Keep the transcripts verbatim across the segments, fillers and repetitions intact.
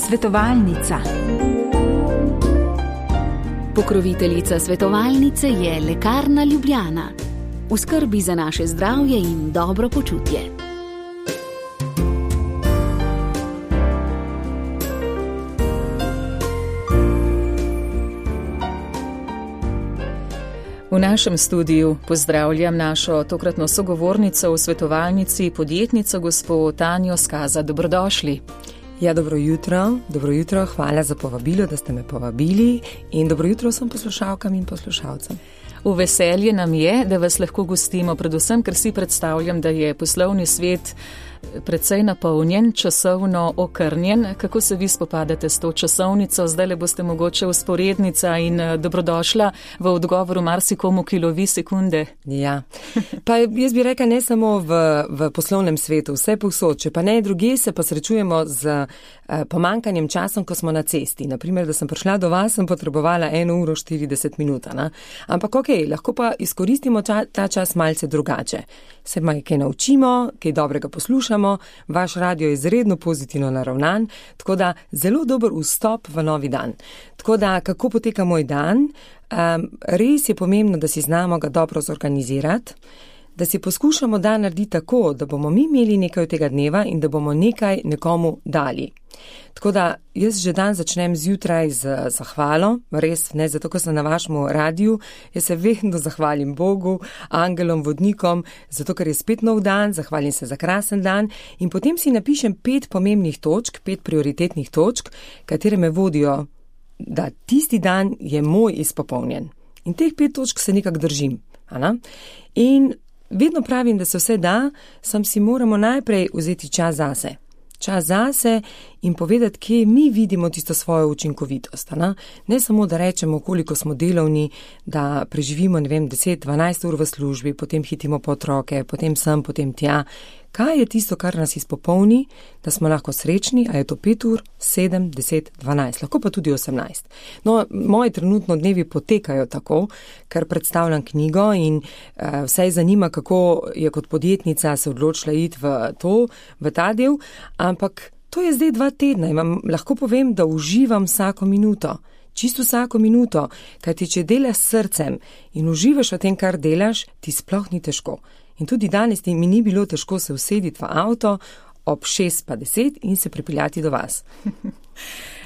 Svetovalnica. Pokroviteljica svetovalnice je Lekarna Ljubljana. V skrbi za naše zdravje in dobro počutje. V našem studiu pozdravljam našo tokratno sogovornico v svetovalnici, podjetnico gospo Tanjo Skaza. Dobrodošli. Ja, dobro jutro, dobro jutro, hvala za povabilo, da ste me povabili in dobro jutro vsem poslušalkam in poslušalcem. V veselje nam je, da vas lahko gostimo, predvsem, ker si predstavljam, da je poslovni svet precej napolnjen, časovno okrnjen. Kako se vi spopadate s to časovnico? Zdaj le boste mogoče usporednica in dobrodošla v odgovoru marsikomu, ki lovi sekunde. Ja, pa jaz bi rekla ne samo v, v poslovnem svetu, vse povsod, če pa ne druge, se pa srečujemo z eh, pomankanjem časom, ko smo na cesti. Naprimer, da sem prišla do vas, sem potrebovala eno uro štirideset minut. Na? Ampak ok, lahko pa izkoristimo ča, ta čas malce drugače. Se maj kaj naučimo, kaj dobrega poslušamo, vaš radio je izredno pozitivno naravnan, tako da zelo dober vstop v novi dan. Tako da, kako poteka moj dan? Um, res je pomembno, da si znamo ga dobro zorganizirati, da si poskušamo dan narediti tako, da bomo mi imeli nekaj od tega dneva in da bomo nekaj nekomu dali. Tako da jaz že dan začnem zjutraj z zahvalo, res ne zato, ker sem na vašem radiju, jaz se vedno zahvalim Bogu, angelom, vodnikom, zato, ker je spet nov dan, zahvalim se za krasen dan in potem si napišem pet pomembnih točk, pet prioritetnih točk, katere me vodijo, da tisti dan je moj izpopolnjen. In teh pet točk se nekako držim. Ana? In vedno pravim, da se vse da, sam si moramo najprej vzeti čas zase. Čas zase in povedati, kje mi vidimo tisto svojo učinkovitost. Ne? ne samo, da rečemo, koliko smo delovni, da preživimo, ne vem, deset dvanajst ur v službi, potem hitimo po otroke, potem sem, potem tja. Kaj je tisto, kar nas izpopolni, da smo lahko srečni, a je to pet ur, sedem, deset, dvanajst, lahko pa tudi osemnajst. No, moji trenutno dnevi potekajo tako, ker predstavljam knjigo in uh, vse zanima, kako je kot podjetnica se odločila iti v to, v ta del, ampak to je zdaj dva tedna in vam lahko povem, da uživam vsako minuto. Čisto vsako minuto, kajti če delaš s srcem in uživaš v tem, kar delaš, ti sploh ni težko. In tudi danes mi ni bilo težko se usediti v avto ob šest pa deset in se pripeljati do vas.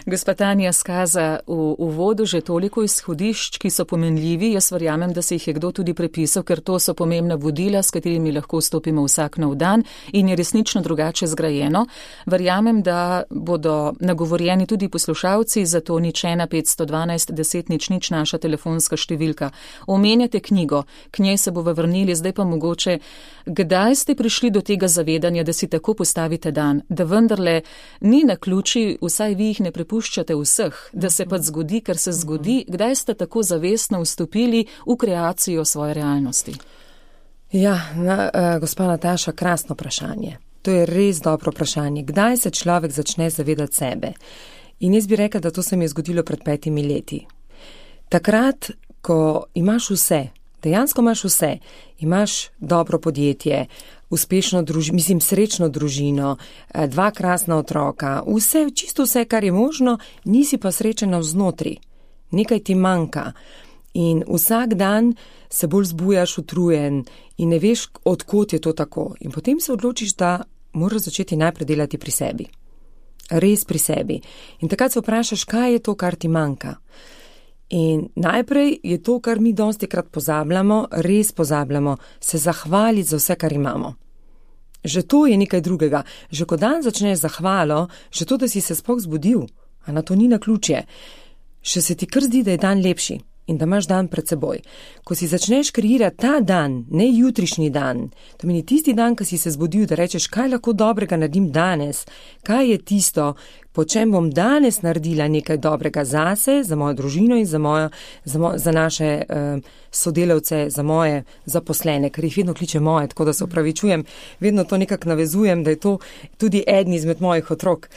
Gospa Tanja Skaza, v uvodu že toliko izhodišč, ki so pomenljivi. Jaz verjamem, da se jih je kdo tudi prepisal, ker to so pomembna vodila, s katerimi lahko vstopimo vsak nov dan in je resnično drugače zgrajeno. Verjamem, da bodo nagovorjeni tudi poslušalci, zato nič ena petsto dvanajst deset nič nič naša telefonska številka. Omenjate knjigo, k njej se bova vrnili, zdaj pa mogoče, kdaj ste prišli do tega zavedanja, da si tako postavite dan, da vendarle ni naključij, vsaj vi jih ne prepuščate vseh, da se pa zgodi, ker se zgodi, kdaj ste tako zavestno vstopili v kreacijo svoje realnosti? Ja, na, uh, gospa Nataša, krasno vprašanje. To je res dobro vprašanje. Kdaj se človek začne zavedati sebe? In jaz bi rekla, da to se mi je zgodilo pred petimi leti. Takrat, ko imaš vse, dejansko imaš vse, imaš dobro podjetje, uspešno družino, mislim srečno družino, dva krasna otroka, vse, čisto vse, kar je možno, nisi pa srečen navznotri. Nekaj ti manjka in vsak dan se bolj zbujaš utrujen in ne veš, odkot je to tako. In potem se odločiš, da moraš začeti najprej delati pri sebi. Res pri sebi. In takrat se vprašaš, kaj je to, kar ti manjka. In najprej je to, kar mi dostikrat pozabljamo, res pozabljamo, se zahvaliti za vse, kar imamo. Že to je nekaj drugega. Že ko dan začneš zahvalo, že to, da si se sploh zbudil, a na to ni naključje, še se ti kar zdi, da je dan lepši in da imaš dan pred seboj. Ko si začneš kreirati ta dan, ne jutrišnji dan, to meni tisti dan, ko si se zbudil, da rečeš, kaj lahko dobrega naredim danes, kaj je tisto, po čem bom danes naredila nekaj dobrega zase, za mojo družino in za, mojo, za, mo, za naše uh, sodelavce, za moje zaposlene, ker jih vedno kliče moje, tako da se opravičujem, vedno to nekako navezujem, da je to tudi eden izmed mojih otrok.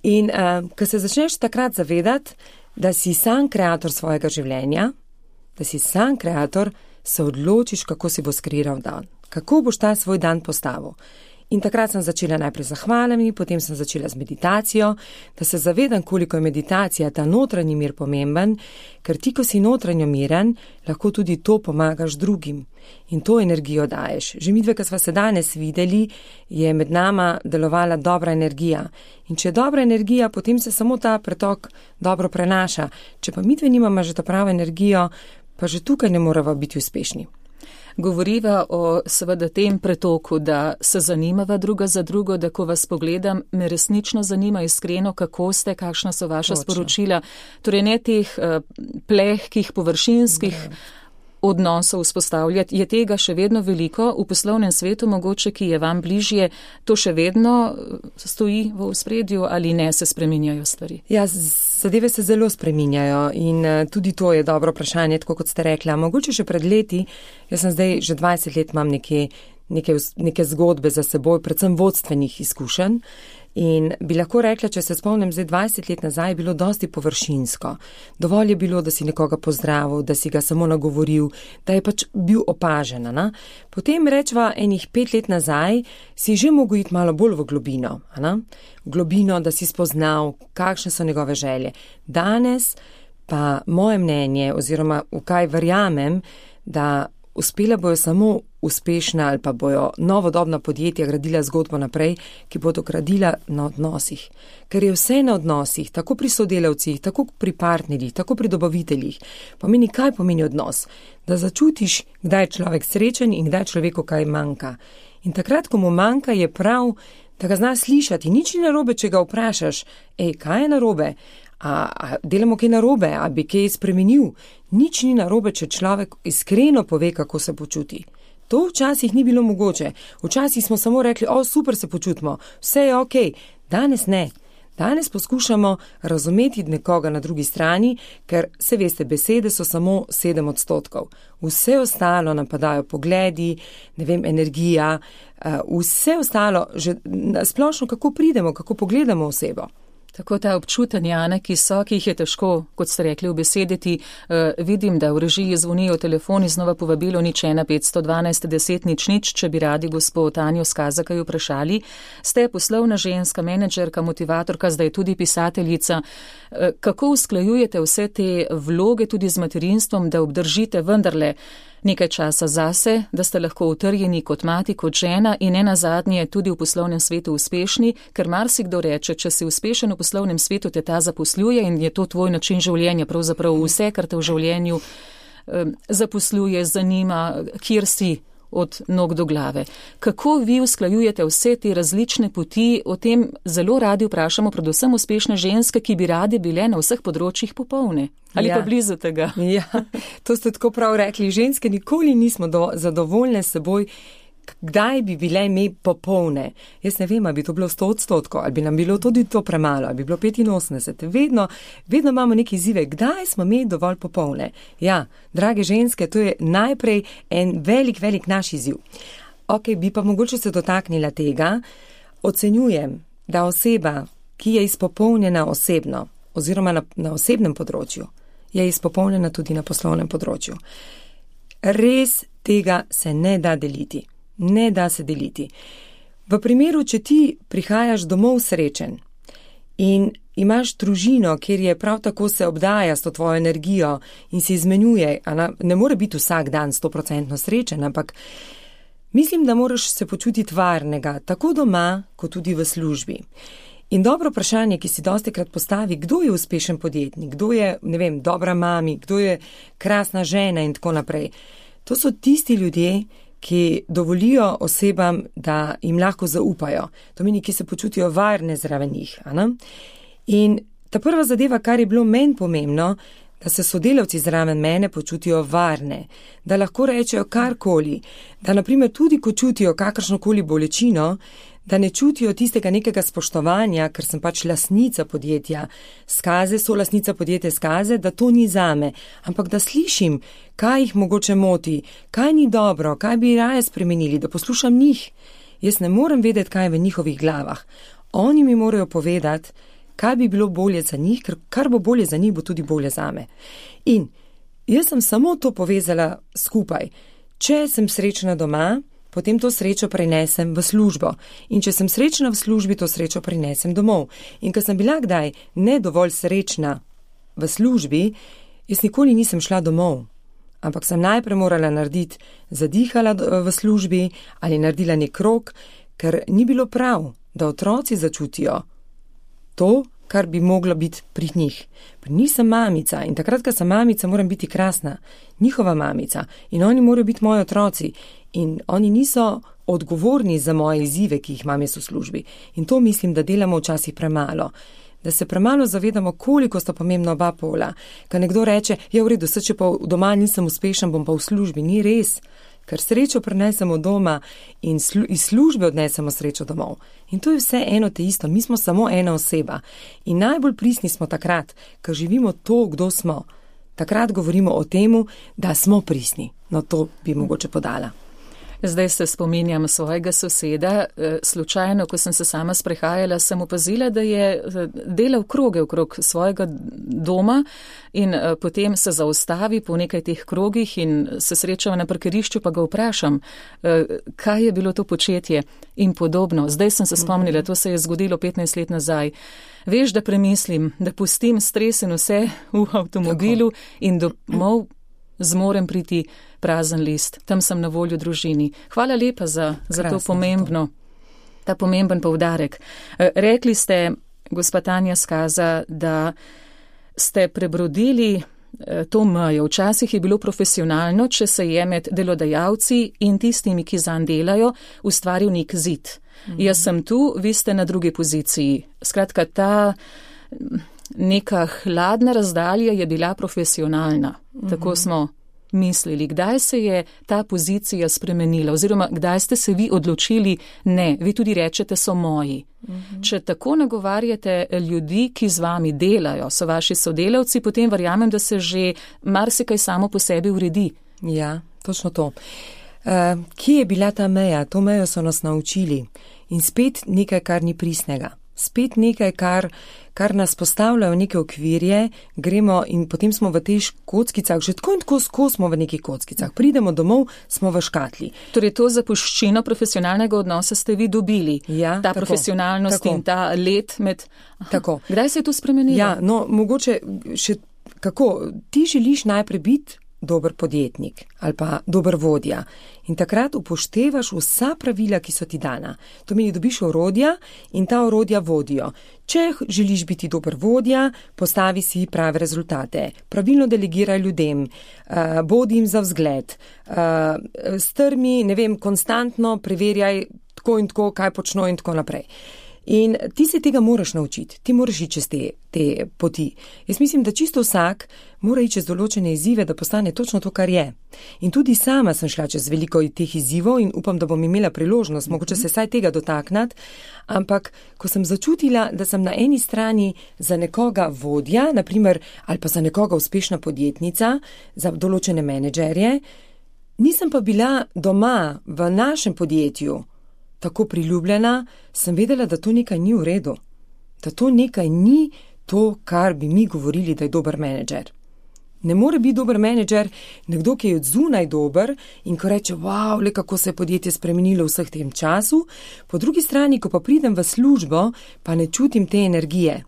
In uh, ko se začneš takrat zavedati, da si sam kreator svojega življenja, da si sam kreator, se odločiš, kako si bo skreiral dan, kako boš ta svoj dan postavil. In takrat sem začela najprej z zahvalami, potem sem začela z meditacijo, da se zavedam, koliko je meditacija, ta notranji mir pomemben, ker ti, ko si notranjo miren, lahko tudi to pomagaš drugim in to energijo daješ. Že midve, ko sva se danes videli, je med nama delovala dobra energija. In če je dobra energija, potem se samo ta pretok dobro prenaša. Če pa midve nimamo že ta pravo energijo, pa že tukaj ne morava biti uspešni. Govoriva o seveda tem pretoku, da se zanimava druga za drugo, da ko vas pogledam, me resnično zanima iskreno, kako ste, kakšna so vaša Točno. Sporočila. Torej ne teh uh, plehkih, površinskih ne. Odnosov vzpostavljati. Je tega še vedno veliko v poslovnem svetu, mogoče, ki je vam bližje, to še vedno stoji v ospredju ali ne, se spreminjajo stvari? Ja, zadeve se zelo spreminjajo in tudi to je dobro vprašanje, tako kot ste rekla. Mogoče še pred leti, jaz sem zdaj že dvajset let imam neke, neke, neke zgodbe za seboj, predvsem vodstvenih izkušenj. In bi lahko rekla, če se spomnim, zdaj dvajset let nazaj je bilo dosti površinsko. Dovolj je bilo, da si nekoga pozdravil, da si ga samo nagovoril, da je pač bil opažen. Na? Potem rečva enih pet let nazaj si že mogel iti malo bolj v globino. Na? V globino, da si spoznal, kakšne so njegove želje. Danes pa moje mnenje oziroma v kaj verjamem, da uspela bojo samo uspešna ali pa bojo novodobna podjetja gradila zgodbo naprej, ki bodo gradila na odnosih. Ker je vse na odnosih, tako pri sodelavcih, tako pri partnerjih, tako pri dobaviteljih. Pomeni, kaj pomeni odnos? Da začutiš, kdaj je človek srečen in kdaj človeku kaj manjka. In takrat, ko mu manjka, je prav, da ga zna slišati. Nič ni narobe, če ga vprašaš, ej, kaj je narobe? A, a delamo kaj narobe, a bi kaj spremenil? Nič ni narobe, če človek iskreno pove, kako se počuti. To včasih ni bilo mogoče. Včasih smo samo rekli, o, super se počutimo, vse je ok. Danes ne. Danes poskušamo razumeti nekoga na drugi strani, ker, se veste, besede so samo sedem odstotkov. Vse ostalo napadajo pogledi, ne vem, energija, vse ostalo, že splošno kako pridemo, kako pogledamo osebo. Tako ta občutanja, ne, ki so, ki jih je težko, kot ste rekli, ubesediti. Uh, vidim, da v režiji zvonijo telefoni, znova povabilo nič ena petsto dvanajst deset nič nič, če bi radi gospod Tanjo Skazakaj vprašali. Ste poslovna ženska, menedžerka, motivatorka, zdaj tudi pisateljica. Uh, kako usklajujete vse te vloge tudi z materinstvom, da obdržite vendarle nekaj časa zase, da ste lahko utrjeni kot mati, kot žena in ne nazadnje tudi v poslovnem svetu uspešni, ker marsikdo reče, če si uspešen v poslovnem svetu, te ta zaposluje in je to tvoj način življenja, pravzaprav vse, kar te v življenju eh, zaposluje, zanima, kjer si od nog do glave. Kako vi usklajujete vse te različne poti? O tem zelo radi vprašamo, predvsem uspešne ženske, ki bi radi bile na vseh področjih popolne. Ali ja. Pa blizu tega? Ja, to ste tako prav rekli. Ženske nikoli nismo do, zadovoljne s seboj, kdaj bi bile me popolne. Jaz ne vem, ali bi to bilo sto odstotkov, ali bi nam bilo tudi to premalo, ali bi bilo petinosemdeset. Vedno, vedno imamo neke izzive, kdaj smo me dovolj popolne. Ja, drage ženske, to je najprej en velik, velik naš izziv. Ok, bi pa mogoče se dotaknila tega. Ocenjujem, da oseba, ki je izpopolnjena osebno, oziroma na, na osebnem področju, je izpopolnjena tudi na poslovnem področju. Res tega se ne da deliti. Ne da se deliti. V primeru, če ti prihajaš domov srečen in imaš družino, kjer je prav tako se obdaja s to tvojo energijo in se izmenjuje, ne more biti vsak dan sto procentno srečen, ampak mislim, da moraš se počutiti varnega, tako doma, kot tudi v službi. In dobro vprašanje, ki si dostikrat postavi, kdo je uspešen podjetnik, kdo je, ne vem, dobra mami, kdo je krasna žena in tako naprej. To so tisti ljudje, ki dovolijo osebam, da jim lahko zaupajo. To meni, ki se počutijo varne zraven njih. In ta prva zadeva, kar je bilo meni pomembno, da se sodelavci zraven mene počutijo varne, da lahko rečejo karkoli, da naprimer tudi, ko čutijo kakršnokoli bolečino, da ne čutijo tistega nekega spoštovanja, ker sem pač lastnica podjetja Skaze, so lastnica podjetja Skaze, da to ni zame, ampak da slišim, kaj jih mogoče moti, kaj ni dobro, kaj bi raje spremenili, da poslušam njih. Jaz ne morem vedeti, kaj je v njihovih glavah. Oni mi morajo povedati, kaj bi bilo bolje za njih, ker kar bo bolje za njih, bo tudi bolje zame. In jaz sem samo to povezala skupaj. Če sem srečna doma, potem to srečo prenesem v službo. In če sem srečna v službi, to srečo prenesem domov. In ko sem bila kdaj ne dovolj srečna v službi, jaz nikoli nisem šla domov. Ampak sem najprej morala narediti, zadihala v službi ali naredila nek krog, ker ni bilo prav, da otroci začutijo to, kar bi moglo biti pri njih. Pri njih sem mamica in takrat, ko sem mamica, moram biti krasna, njihova mamica in oni morajo biti moji otroci in oni niso odgovorni za moje izzive, ki jih imam jaz v službi. In to mislim, da delamo včasih premalo. Da se premalo zavedamo, koliko sta pomembna oba pola. Ko nekdo reče, ja, v redu, se če pa doma nisem uspešen, bom pa v službi. Ni res, ker srečo prenesemo doma in slu, iz službe odnesemo srečo domov. In to je vse eno te isto, mi smo samo ena oseba. In najbolj pristni smo takrat, ko živimo to, kdo smo. Takrat govorimo o temu, da smo pristni. No, to bi mogoče podala. Zdaj se spominjam svojega soseda. Slučajno, ko sem se sama sprehajala, sem opazila, da je delal kroge okrog svojega doma in potem se zaustavi po nekaj teh krogih in se srečava na parkirišču, pa ga vprašam, kaj je bilo to početje in podobno. Zdaj sem se spomnila, to se je zgodilo petnajst let nazaj. Veš, da premislim, da pustim stres in vse v avtomobilu Tako. In domov zmorem priti prazen list. Tam sem na voljo družini. Hvala lepa za, za to pomembno, ta pomemben poudarek. Rekli ste, gospa Tanja Skaza, da ste prebrodili to mejo. Včasih je bilo profesionalno, če se je med delodajalci in tistimi, ki zanj delajo, ustvaril nek zid. Mhm. Jaz sem tu, vi ste na drugi poziciji. Skratka, ta neka hladna razdalja je bila profesionalna. Mhm. Tako smo mislili. Kdaj se je ta pozicija spremenila oziroma kdaj ste se vi odločili, ne, vi tudi rečete, so moji. Mhm. Če tako nagovarjate ljudi, ki z vami delajo, so vaši sodelavci, potem verjamem, da se že marsikaj samo po sebi uredi. Ja, točno to. Uh, kje je bila ta meja? To mejo so nas naučili. In spet nekaj, kar ni pristnega. Spet nekaj, kar, kar nas postavljajo v neke okvirje, gremo in potem smo v teh kockicah, že tako in tako skos smo v nekih kockicah. Pridemo domov, smo v škatli. Torej to zapuščino profesionalnega odnosa ste vi dobili. Ja, ta tako, profesionalnost tako. In ta let med... Aha, tako. Kdaj se je to spremenilo? Ja, no, mogoče še kako, ti želiš najprej biti dober podjetnik ali pa dober vodja. In takrat upoštevaš vsa pravila, ki so ti dana. To meni, dobiš orodja in ta orodja vodijo. Če želiš biti dober vodja, postavi si prave rezultate. Pravilno delegiraj ljudem, uh, bodi jim za vzgled, uh, strmi, ne vem, konstantno preverjaj tako in tako, kaj počno in tako naprej. In ti se tega moraš naučiti, ti moraš iti čez te, te poti. Jaz mislim, da čisto vsak mora iti čez določene izzive, da postane točno to, kar je. In tudi sama sem šla čez veliko teh izzivov in upam, da bom imela priložnost, mogoče se saj tega dotaknati, ampak ko sem začutila, da sem na eni strani za nekoga vodja, naprimer, ali pa za nekoga uspešna podjetnica, za določene menedžerje, nisem pa bila doma v našem podjetju tako priljubljena, sem vedela, da to nekaj ni v redu. Da to nekaj ni to, kar bi mi govorili, da je dober menedžer. Ne more biti dober menedžer nekdo, ki je od zunaj dober in ko reče, wow, le kako se je podjetje spremenilo v vseh tem času, po drugi strani, ko pa pridem v službo, pa ne čutim te energije.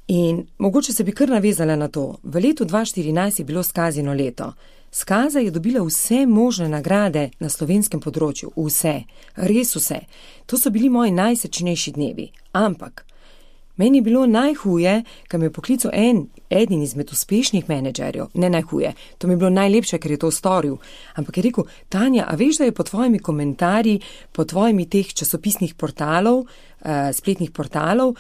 In mogoče se bi kar navezala na to. V letu dva tisoč štirinajst je bilo Skazino leto. Skaza je dobila vse možne nagrade na slovenskem področju. Vse. Res vse. To so bili moji najsrečnejši dnevi. Ampak meni je bilo najhuje, ker me je poklical en, eden izmed uspešnih menedžerjev. Ne najhuje. To mi je bilo najlepše, ker je to storil. Ampak je rekel, Tanja, a veš, da je po tvojimi komentarji, po tvojimi teh časopisnih portalov, uh, spletnih portalov,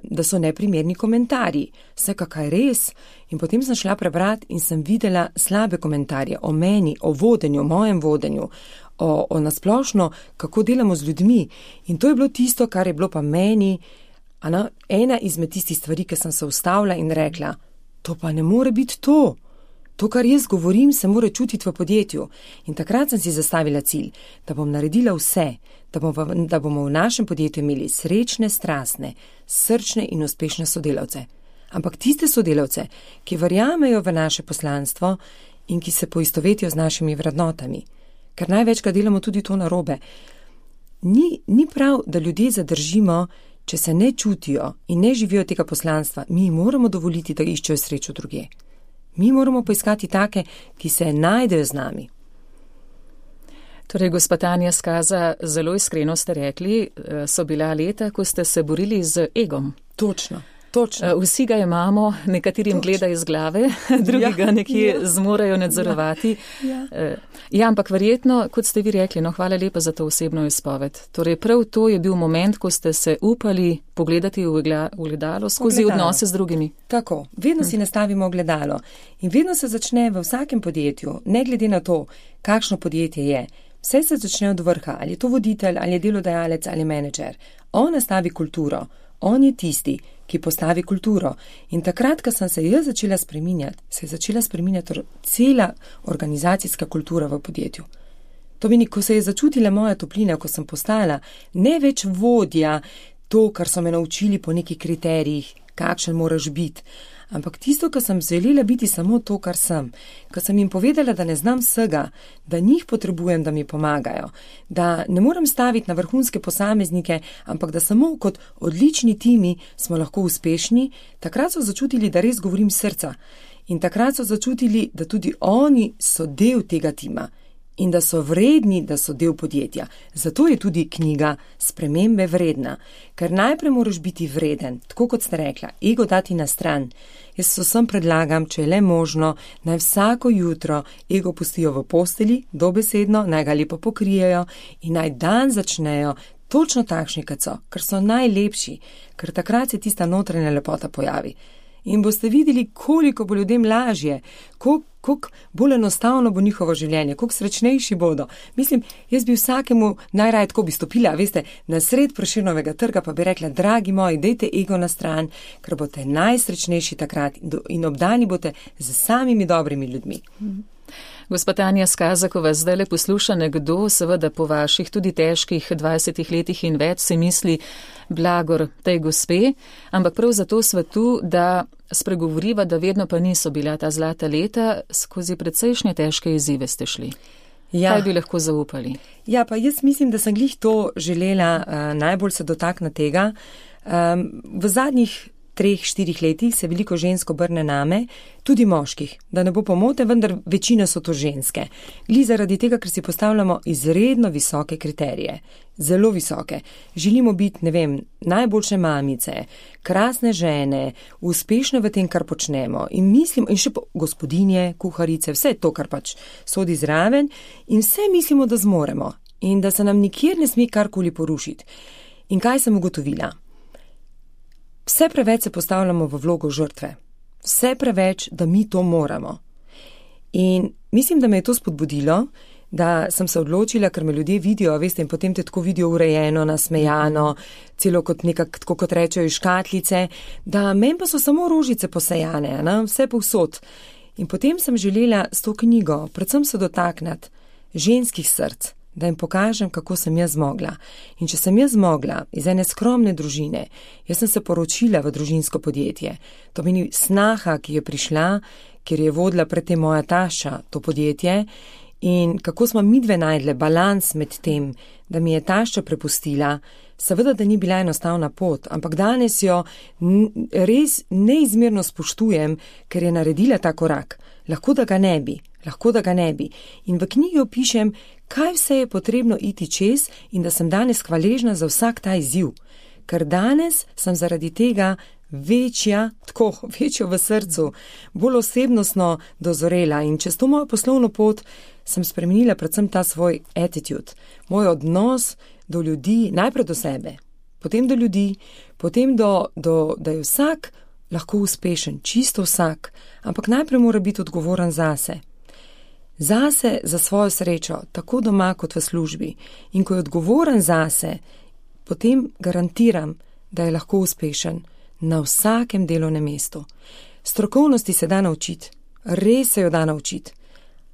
da so neprimerni komentarji. Vsekakaj res. In potem sem šla prebrati in sem videla slabe komentarje o meni, o vodenju, o mojem vodenju, o, o nasplošno, kako delamo z ljudmi. In to je bilo tisto, kar je bilo pa meni ana, ena izmed tistih stvari, ki sem se ustavila in rekla, to pa ne more biti to. To, kar jaz govorim, se mora čutiti v podjetju. In takrat sem si zastavila cilj, da bom naredila vse, da bomo, da bomo v našem podjetju imeli srečne, strastne, srčne in uspešne sodelavce. Ampak tiste sodelavce, ki verjamejo v naše poslanstvo in ki se poistovetijo z našimi vrednotami. ker največkrat delamo tudi to narobe. Ni, ni prav, da ljudje zadržimo, če se ne čutijo in ne živijo tega poslanstva. Mi moramo dovoliti, da iščejo srečo druge. Mi moramo poiskati take, ki se najdejo z nami. Torej, gospa Tanja Skaza, zelo iskreno ste rekli, so bila leta, ko ste se borili z egom. Točno. Točno. Vsi ga imamo, nekaterim Točno. Gleda iz glave, drugi ja, ga nekje ja. Zmorajo nadzorovati. Ja. Ja. ja, ampak verjetno, kot ste vi rekli, no, hvala lepa za to osebno izpoved. Torej, prav to je bil moment, ko ste se upali pogledati v ogledalo skozi ogledalo. Odnose z drugimi. Tako, vedno hm. si nastavimo ogledalo in vedno se začne v vsakem podjetju, ne glede na to, kakšno podjetje je. Vse se začne od vrha, ali je to voditelj, ali je delodajalec, ali menedžer. On nastavi kulturo, on je tisti, ki postavi kulturo. In takrat, ko sem se jaz začela spreminjati, se je začela spreminjati cela organizacijska kultura v podjetju. To meni, ko se je začutila moja toplina, ko sem postala ne več vodja, to, kar so me naučili po nekih kriterijih, kakšen moraš biti, ampak tisto, ko sem želela biti samo to, kar sem, ko sem jim povedala, da ne znam vsega, da njih potrebujem, da mi pomagajo, da ne moram staviti na vrhunske posameznike, ampak da samo kot odlični timi smo lahko uspešni, takrat so začutili, da res govorim srca. In takrat so začutili, da tudi oni so del tega tima in da so vredni, da so del podjetja. Zato je tudi knjiga Spremembe vredna, ker najprej moraš biti vreden, tako kot ste rekla, ego dati na stran. Jaz vsem predlagam, če je le možno, naj vsako jutro ego pustijo v posteli, dobesedno, naj ga lepo pokrijejo in naj dan začnejo točno takšni, kot so, ker so najlepši, ker takrat se tista notranja lepota pojavi. In boste videli, koliko bo ljudem lažje, koliko, koliko bolj enostavno bo njihovo življenje, koliko srečnejši bodo. Mislim, jaz bi vsakemu najraje tako bi stopila, veste, na sred Prešernovega trga, pa bi rekla, dragi moji, dejte ego na stran, ker boste najsrečnejši takrat in obdani boste z samimi dobrimi ljudmi. Gospa Tanja Skaza, ko vas zdaj le posluša nekdo, seveda po vaših tudi težkih dvajsetih letih in več si misli blagor tej gospe, ampak prav zato svetu, da spregovoriva, da vedno pa niso bila ta zlata leta, skozi precejšnje težke izzive ste šli. Ja. Kaj bi lahko zaupali? Ja, pa jaz mislim, da sem glih to želela uh, najbolj se dotakniti tega. Um, v zadnjih treh, štirih letih se veliko žensko obrne name, tudi moških, da ne bo pomote, vendar večina so to ženske. Gli zaradi tega, ker si postavljamo izredno visoke kriterije, zelo visoke. Želimo biti, ne vem, najboljše mamice, krasne žene, uspešne v tem, kar počnemo in mislimo, in še gospodinje, kuharice, vse to, kar pač sodi zraven in vse mislimo, da zmoremo in da se nam nikjer ne sme karkoli porušiti. In kaj sem ugotovila? Vse preveč se postavljamo v vlogo žrtve. Vse preveč, da mi to moramo. In mislim, da me je to spodbudilo, da sem se odločila, ker me ljudje vidijo, veste, in potem te tako vidijo urejeno, nasmejano, celo kot nekak, tako kot rečejo iz škatlice, da meni pa so samo rožice posejane, ne? Vse povsod. In potem sem želela s to knjigo predvsem se dotakniti ženskih src, da jim pokažem, kako sem jaz zmogla. In če sem jaz zmogla iz ene skromne družine, jaz sem se poročila v družinsko podjetje. To meni snaha, ki je prišla, ker je vodila pred tem moja taša to podjetje in kako smo midve najdle balans med tem, da mi je tašča prepustila, seveda, da ni bila enostavna pot, ampak danes jo res neizmerno spoštujem, ker je naredila ta korak. Lahko da ga ne bi, lahko da ga ne bi. In v knjigi opišem, kaj vse je potrebno iti čez in da sem danes hvaležna za vsak ta izziv. Ker danes sem zaradi tega večja, tako, večjo v srcu, bolj osebnostno dozorela in čez to mojo poslovno pot sem spremenila predvsem ta svoj attitude, moj odnos do ljudi, najprej do sebe, potem do ljudi, potem do, do, da je vsak lahko uspešen, čisto vsak, ampak najprej mora biti odgovoren zase. Zase, za svojo srečo, tako doma kot v službi. In ko je odgovoren zase, potem garantiram, da je lahko uspešen na vsakem delovnem mestu. Strokovnosti se da naučiti, res se jo da naučiti,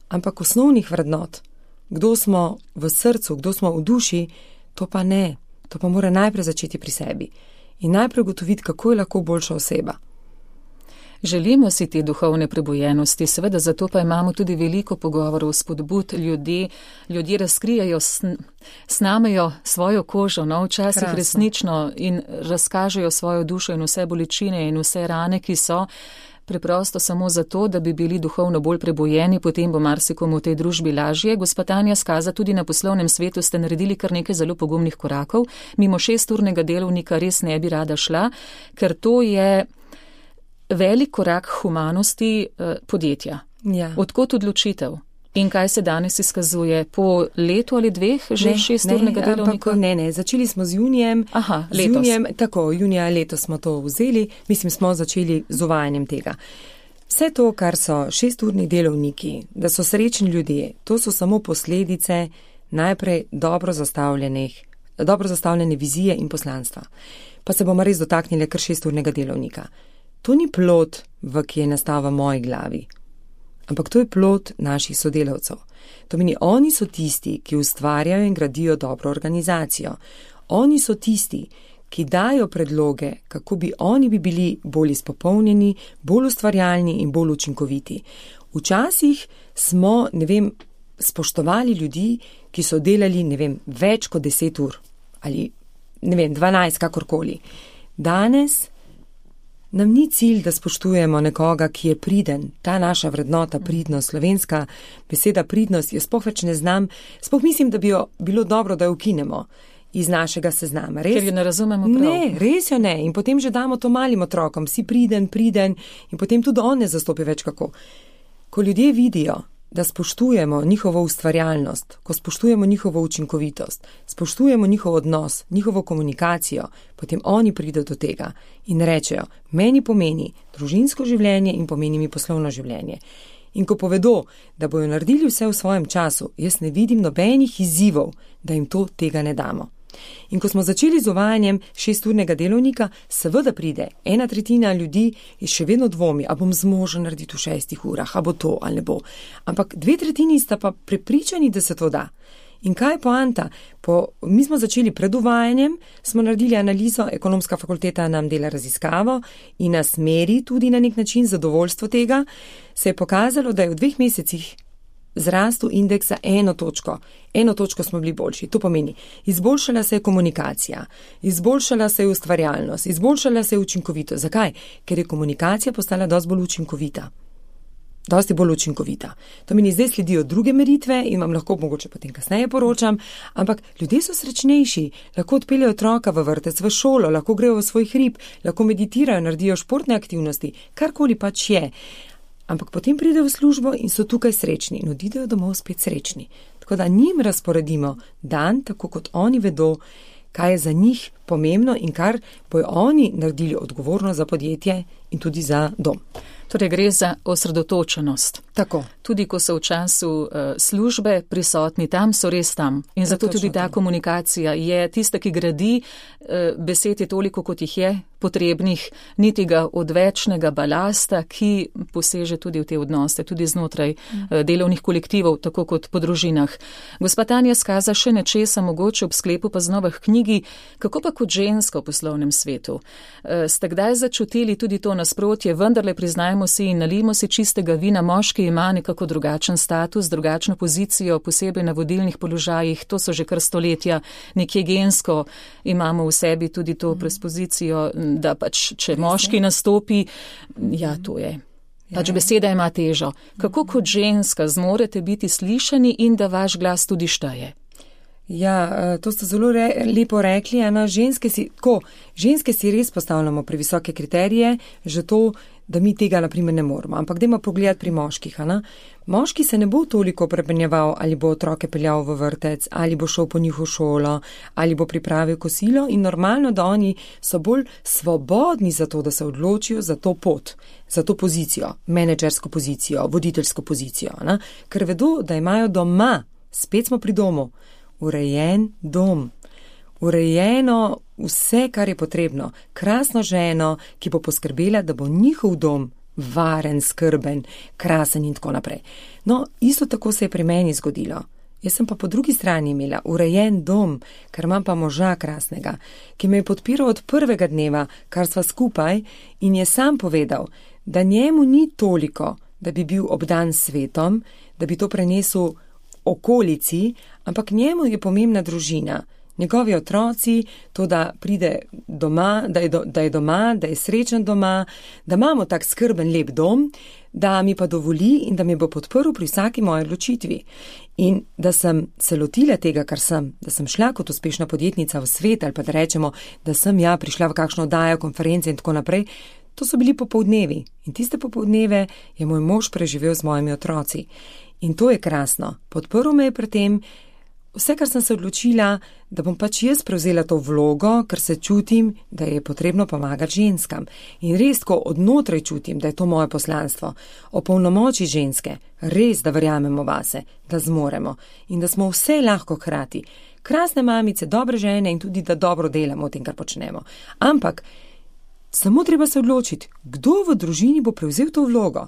ampak osnovnih vrednot, kdo smo v srcu, kdo smo v duši, to pa ne, to pa mora najprej začeti pri sebi in najprej ugotoviti, kako je lahko boljša oseba. Želimo si te duhovne prebojenosti, seveda zato pa imamo tudi veliko pogovorov, spodbud ljudi, ljudje razkrijajo, sn, snamejo svojo kožo, no, včasih Krasno. resnično in razkažejo svojo dušo in vse bolečine in vse rane, ki so preprosto samo zato, da bi bili duhovno bolj prebojeni, potem bo marsikomu v tej družbi lažje. Gospa Tanja Skaza, tudi na poslovnem svetu ste naredili kar nekaj zelo pogumnih korakov. Mimo šesturnega delovnika res ne bi rada šla, ker to je velik korak humanosti eh, podjetja. Ja. Odkot odločitev? In kaj se danes izkazuje? Po letu ali dveh že ne, šesturnega ne, delovnika? Ampak, ne, ne, začeli smo z junijem. Aha, z junijem, tako, junija letos smo to vzeli, mislim, smo začeli z uvajanjem tega. Vse to, kar so šesturni delovniki, da so srečni ljudje, to so samo posledice najprej dobro zastavljenih, dobro zastavljene vizije in poslanstva. Pa se bomo res dotaknili kar šesturnega delovnika. To ni plod, v ki je nastal v moji glavi, ampak to je plod naših sodelavcev. To meni, oni so tisti, ki ustvarjajo in gradijo dobro organizacijo. Oni so tisti, ki dajo predloge, kako bi oni bi bili bolj izpopolnjeni, bolj ustvarjalni in bolj učinkoviti. Včasih smo, ne vem, spoštovali ljudi, ki so delali, ne vem, več kot deset ur ali, ne vem, dvanajst, kakorkoli. Danes nam ni cilj, da spoštujemo nekoga, ki je priden. Ta naša vrednota, pridnost, slovenska beseda pridnost, jaz sploh več ne znam, sploh mislim, da bi jo bilo dobro, da jo ukinemo iz našega seznama. Res? Ker jo ne razumemo prav. Ne, res jo ne. In potem že damo to malim otrokom, si priden, priden in potem tudi on ne zastopi več kako. Ko ljudje vidijo, da spoštujemo njihovo ustvarjalnost, ko spoštujemo njihovo učinkovitost, spoštujemo njihov odnos, njihovo komunikacijo, potem oni pridejo do tega in rečejo, meni pomeni družinsko življenje in pomeni mi poslovno življenje. In ko povedo, da bojo naredili vse v svojem času, jaz ne vidim nobenih izzivov, da jim to tega ne damo. In ko smo začeli z uvajanjem šesturnega delovnika, seveda pride ena tretjina ljudi in še vedno dvomi, a bom zmožen narediti v šestih urah, a bo to ali ne bo. Ampak dve tretjini sta pa prepričani, da se to da. In kaj je poanta? Po, mi smo začeli pred uvajanjem, smo naredili analizo, ekonomska fakulteta nam dela raziskavo in nas meri tudi na nek način zadovoljstvo tega, se je pokazalo, da je v dveh mesecih zrastu indeks za eno točko. Eno točko smo bili boljši. To pomeni, izboljšala se je komunikacija, izboljšala se je ustvarjalnost, izboljšala se je učinkovitost. Zakaj? Ker je komunikacija postala dosti bolj učinkovita. Dosti bolj učinkovita. To meni zdaj sledijo druge meritve in vam lahko mogoče potem kasneje poročam, ampak ljudje so srečnejši, lahko odpeljejo otroka v vrtec, v šolo, lahko grejo v svoj hrib, lahko meditirajo, naredijo športne aktivnosti, karkoli pač je. Ampak potem pridejo v službo in so tukaj srečni in odidejo domov spet srečni. Tako da njim razporedimo dan, tako kot oni vedo, kaj je za njih pomembno in kar bojo oni naredili odgovorno za podjetje in tudi za dom. Torej gre za osredotočenost. Tako. Tudi ko so v času uh, službe prisotni tam, so res tam. In zato ja, tudi ta tam. Komunikacija je tista, ki gradi, uh, besed je toliko, kot jih je potrebnih, niti ga odvečnega balasta, ki poseže tudi v te odnose, tudi znotraj uh, delovnih kolektivov, tako kot po družinah. Gospa Tanja Skaza, še nečesa mogoče ob sklepu pa znova k knjigi, kako pa kot ženska v poslovnem svetu? Uh, ste kdaj začutili tudi to nasprotje, vendarle priznajmo si in nalijmo si čistega vina, moški ima nekako drugačen status, drugačno pozicijo, posebej na vodilnih položajih, to so že kar stoletja, nekje gensko imamo v sebi tudi to prespozicijo, da pač, če moški nastopi, ja, to je. Pač beseda ima težo. Kako kot ženska zmorete biti slišani in da vaš glas tudi šteje? Ja, to ste zelo re, lepo rekli, ena ženske si, tako, ženske si res postavljamo previsoke kriterije, že to, da mi tega naprimer ne moramo. Ampak dajmo pogledati pri moških, ana? Moški se ne bo toliko prepenjeval, ali bo otroke peljal v vrtec, ali bo šel po njih v šolo, ali bo pripravil kosilo in normalno, da oni so bolj svobodni za to, da se odločijo za to pot, za to pozicijo, menedžersko pozicijo, voditeljsko pozicijo, ana? Ker vedo, da imajo doma, spet smo pri domu, urejen dom, urejeno vse, kar je potrebno, krasno ženo, ki bo poskrbela, da bo njihov dom varen, skrben, krasen in tako naprej. No, isto tako se je pri meni zgodilo. Jaz sem pa po drugi strani imela urejen dom, ker imam pa moža krasnega, ki me je podpiral od prvega dneva, kar sva skupaj in je sam povedal, da njemu ni toliko, da bi bil obdan svetom, da bi to prenesel okolici, ampak njemu je pomembna družina, njegovi otroci, to, da pride doma, da je, do, da je doma, da je srečen doma, da imamo tak skrben, lep dom, da mi pa dovoli in da mi bo podprl pri vsaki moji odločitvi. In da sem se lotila tega, kar sem, da sem šla kot uspešna podjetnica v svet, ali pa da rečemo, da sem ja prišla v kakšno oddajo, konference in tako naprej, to so bili popoldnevi. In tiste popoldneve je moj mož preživel z mojimi otroci. In to je krasno. Podprl me je pri tem, vse, kar sem se odločila, da bom pač jaz prevzela to vlogo, ker se čutim, da je potrebno pomagati ženskam. In res, ko odnotraj čutim, da je to moje poslanstvo, opolnomoči ženske, res, da verjamemo vase, da zmoremo in da smo vse lahko hkrati. Krasne mamice, dobre žene in tudi, da dobro delamo v tem, kar počnemo. Ampak samo treba se odločiti, kdo v družini bo prevzel to vlogo.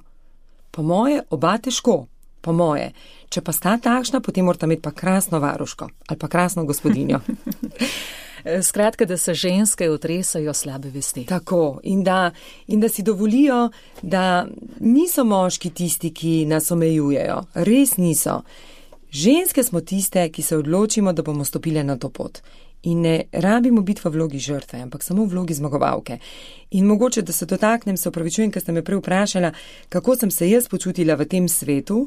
Po moje, oba težko. Po moje. Če pa sta takšna, potem morata imeti pa krasno varuško ali pa krasno gospodinjo. Skratka, da se ženske otresajo slabe vesti. Tako. In da, in da si dovolijo, da niso moški tisti, ki nas omejujejo. Res niso. Ženske smo tiste, ki se odločimo, da bomo stopile na to pot. In ne rabimo biti v vlogi žrtve, ampak samo v vlogi zmagovalke. In mogoče, da se dotaknem, se opravičujem, ker ste me prej vprašala, kako sem se jaz počutila v tem svetu.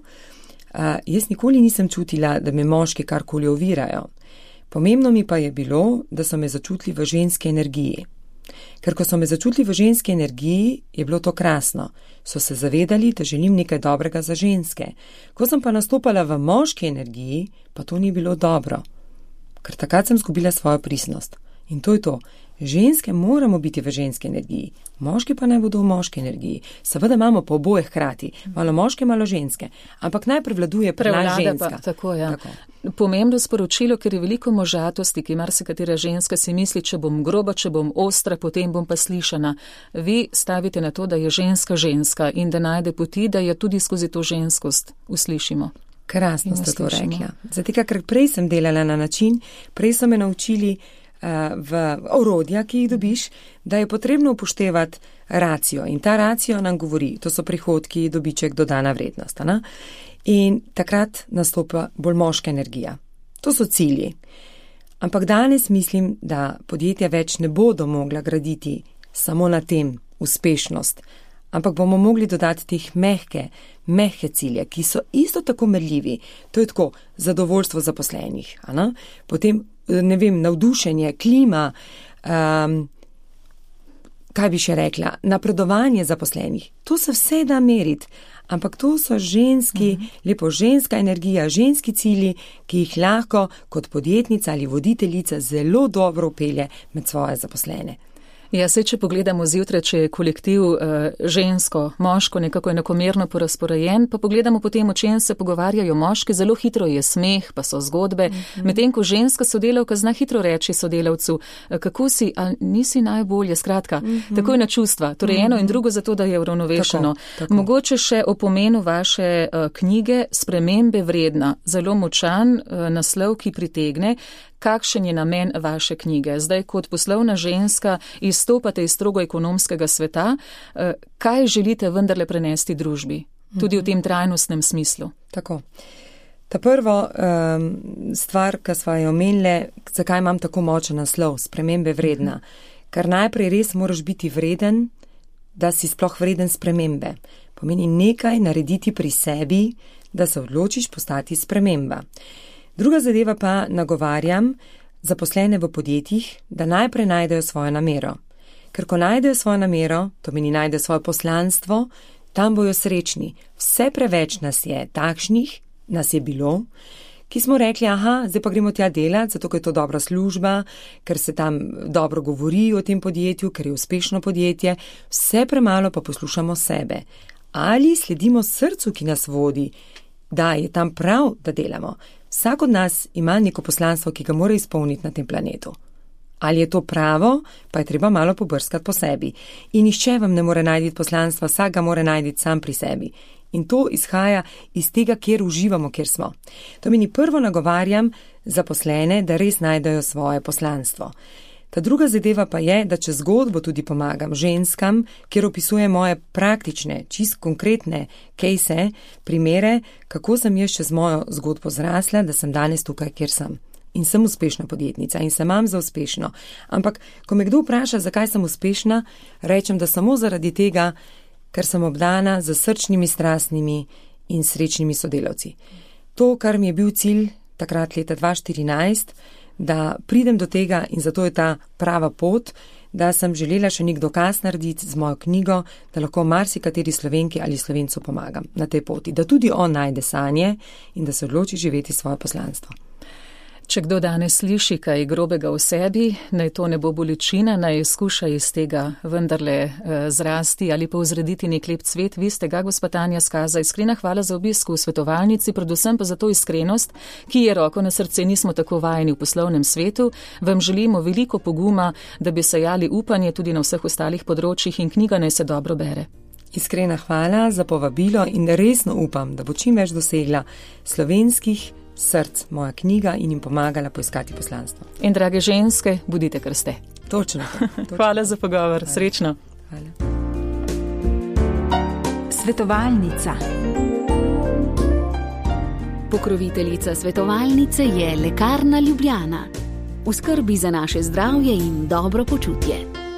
Uh, jaz nikoli nisem čutila, da me moški karkoli ovirajo. Pomembno mi pa je bilo, da so me začutili v ženski energiji. Ker ko so me začutili v ženski energiji, je bilo to krasno. So se zavedali, da želim nekaj dobrega za ženske. Ko sem pa nastopala v moški energiji, pa to ni bilo dobro. Ker takrat sem zgubila svojo pristnost. In to je to. Ženske moramo biti v ženski energiji, moški pa naj bodo v moški energiji. Seveda imamo po oboje hkrati, malo moške, malo ženske, ampak naj prevladuje prevlada ženska. Pa, tako, ja. Tako. Pomembno sporočilo, ker je veliko možatosti, ki marsikatera ženska si misli, če bom groba, če bom ostra, potem bom pa slišana. Vi stavite na to, da je ženska ženska in da najde poti, da jo tudi skozi to ženskost uslišimo. Krasno ste to rekla. Zato, ker prej sem delala na način, prej so me naučili uh, v orodja, ki jih dobiš, da je potrebno upoštevati racijo. In ta racijo nam govori, to so prihodki, dobiček, dodana vrednost. Ne? In takrat nastopa bolj moška energija. To so cilji. Ampak danes mislim, da podjetja več ne bodo mogla graditi samo na tem uspešnost, ampak bomo mogli dodati teh mehke, mehke cilje, ki so isto tako merljivi. To je tako zadovoljstvo zaposlenih, potem, ne vem, navdušenje, klima, um, kaj bi še rekla, napredovanje zaposlenih. To se vse da meriti, ampak to so ženski, uh-huh. lepo ženska energija, ženski cilji, ki jih lahko kot podjetnica ali voditeljica zelo dobro upelje med svoje zaposlene. Ja, se, če pogledamo zjutraj, če je kolektiv uh, žensko, moško nekako enakomerno porazporejen, pa pogledamo potem, o čem se pogovarjajo moški, zelo hitro je smeh, pa so zgodbe, mm-hmm. medtem ko ženska sodelavka zna hitro reči sodelavcu, kako si, a nisi najbolje, skratka, mm-hmm. tako je na čustva, torej mm-hmm. eno in drugo zato, da je uravnovešeno. Tako, tako. Mogoče še o pomenu vaše uh, knjige Spremembe vredna, zelo močan uh, naslov, ki pritegne. Kakšen je namen vaše knjige? Zdaj, kot poslovna ženska, izstopate iz strogo ekonomskega sveta. Kaj želite vendarle prenesti družbi? Tudi v tem trajnostnem smislu. Tako. Ta prvo um, stvar, ki sva jo omenile, zakaj imam tako močen naslov, spremembe vredna. Ker najprej res moraš biti vreden, da si sploh vreden spremembe. Pomeni nekaj narediti pri sebi, da se odločiš postati sprememba. Druga zadeva pa nagovarjam zaposlene v podjetjih, da najprej najdejo svojo namero. Ker ko najdejo svojo namero, to meni najdejo svoje poslanstvo, tam bojo srečni. Vse preveč nas je takšnih, nas je bilo, ki smo rekli, aha, zdaj pa gremo tja delati, zato ker je to dobra služba, ker se tam dobro govori o tem podjetju, ker je uspešno podjetje, vse premalo pa poslušamo sebe. Ali sledimo srcu, ki nas vodi, da je tam prav, da delamo. Vsak od nas ima neko poslanstvo, ki ga mora izpolniti na tem planetu. Ali je to pravo, pa je treba malo pobrskati po sebi. In nihče vam ne more najti poslanstva, vsak ga mora najti sam pri sebi. In to izhaja iz tega, kjer uživamo, kjer smo. To meni prvo nagovarjam zaposlene, da res najdejo svoje poslanstvo. Ta druga zadeva pa je, da čez zgodbo tudi pomagam ženskam, kjer opisujem moje praktične, čist konkretne kejse, primere, kako sem jaz čez mojo zgodbo zrasla, da sem danes tukaj, kjer sem. In sem uspešna podjetnica in se imam za uspešno. Ampak, ko me kdo vpraša, zakaj sem uspešna, rečem, da samo zaradi tega, ker sem obdana z srčnimi, strastnimi in srečnimi sodelavci. To, kar mi je bil cilj takrat leta dva tisoč štirinajst, da pridem do tega in zato je ta prava pot, da sem želela še nek dokaz narediti z mojo knjigo, da lahko marsikateri Slovenki ali Slovencu pomagam na tej poti, da tudi on najde sanje in da se odloči živeti svoje poslanstvo. Če kdo danes sliši kaj grobega v sebi, naj to ne bo bolečina, naj skuša iz tega vendarle eh, zrasti ali pa vzrediti nek lep cvet. Vi ste ga, gospa Tanja Skaza, iskrena hvala za obisk v svetovalnici, predvsem pa za to iskrenost, ki je roko na srce, nismo tako vajeni v poslovnem svetu. Vam želimo veliko poguma, da bi sejali upanje tudi na vseh ostalih področjih in knjiga naj se dobro bere. Iskrena hvala za povabilo in resno upam, da bo čim več dosegla slovenskih src moja knjiga in jim pomagala poiskati poslanstvo. In drage ženske, bodite, kar ste. Točno. točno. Hvala za pogovor. Hvala. Srečno. Hvala. Svetovalnica. Pokroviteljica svetovalnice je Lekarna Ljubljana. V skrbi za naše zdravje in dobro počutje.